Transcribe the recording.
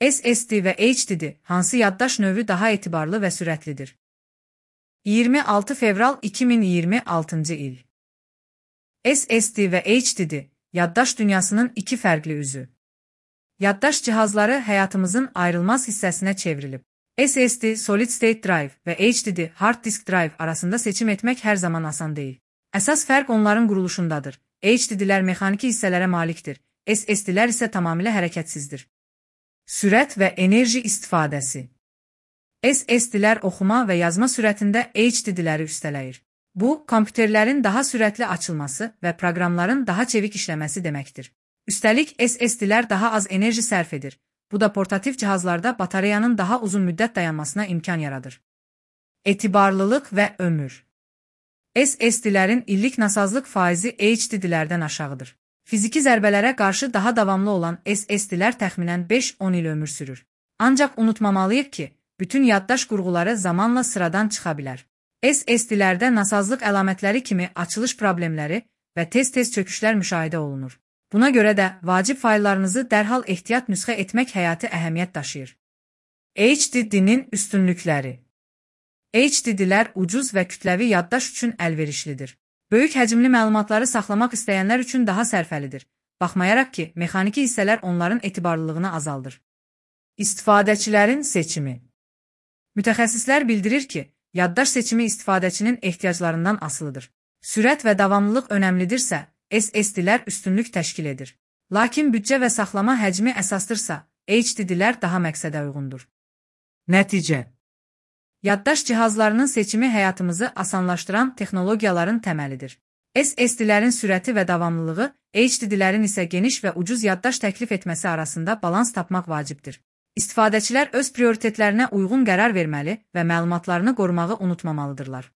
SSD və HDD hansı yaddaş növü daha etibarlı və sürətlidir? 26 fevral 2026 il. SSD və HDD yaddaş dünyasının iki fərqli üzü. Yaddaş cihazları həyatımızın ayrılmaz hissəsinə çevrilib. SSD Solid State Drive və HDD Hard Disk Drive arasında seçim etmək hər zaman asan deyil. Əsas fərq onların quruluşundadır. HDD'lər mexaniki hissələrə malikdir, SSD'lər isə tamamilə hərəkətsizdir. Sürət və enerji istifadəsi. SSD'lər oxuma və yazma sürətində HDD'ləri üstələyir. Bu, kompüterlərin daha sürətli açılması və proqramların daha çevik işləməsi deməkdir. Üstəlik, SSD'lər daha az enerji sərf edir. Bu da portativ cihazlarda batareyanın daha uzun müddət dayanmasına imkan yaradır. Etibarlılıq və ömür. SSD'lərin illik nasazlıq faizi HDD'lərdən aşağıdır. Fiziki zərbələrə qarşı daha davamlı olan SSD'lər təxminən 5-10 il ömür sürür. Ancaq unutmamalıyıq ki, bütün yaddaş qurğuları zamanla sıradan çıxa bilər. SSD'lərdə nasazlıq əlamətləri kimi açılış problemləri və tez-tez çöküşlər müşahidə olunur. Buna görə də vacib fayllarınızı dərhal ehtiyat nüsxə etmək həyati əhəmiyyət daşıyır. HDD-nin üstünlükləri. HDD-lər ucuz və kütləvi yaddaş üçün əlverişlidir. Böyük həcmli məlumatları saxlamaq istəyənlər üçün daha sərfəlidir, baxmayaraq ki, mexaniki hissələr onların etibarlılığını azaldır. İstifadəçilərin seçimi. Mütəxəssislər bildirir ki, yaddaş seçimi istifadəçinin ehtiyaclarından asılıdır. Sürət və davamlılıq önəmlidirsə, SSD'lər üstünlük təşkil edir. Lakin büdcə və saxlama həcmi əsasdırsa, HDD'lər daha məqsədə uyğundur. Nəticə. Yaddaş cihazlarının seçimi həyatımızı asanlaşdıran texnologiyaların təməlidir. SSD'lərin sürəti və davamlılığı, HDD'lərin isə geniş və ucuz yaddaş təklif etməsi arasında balans tapmaq vacibdir. İstifadəçilər öz prioritetlərinə uyğun qərar verməli və məlumatlarını qorumağı unutmamalıdırlar.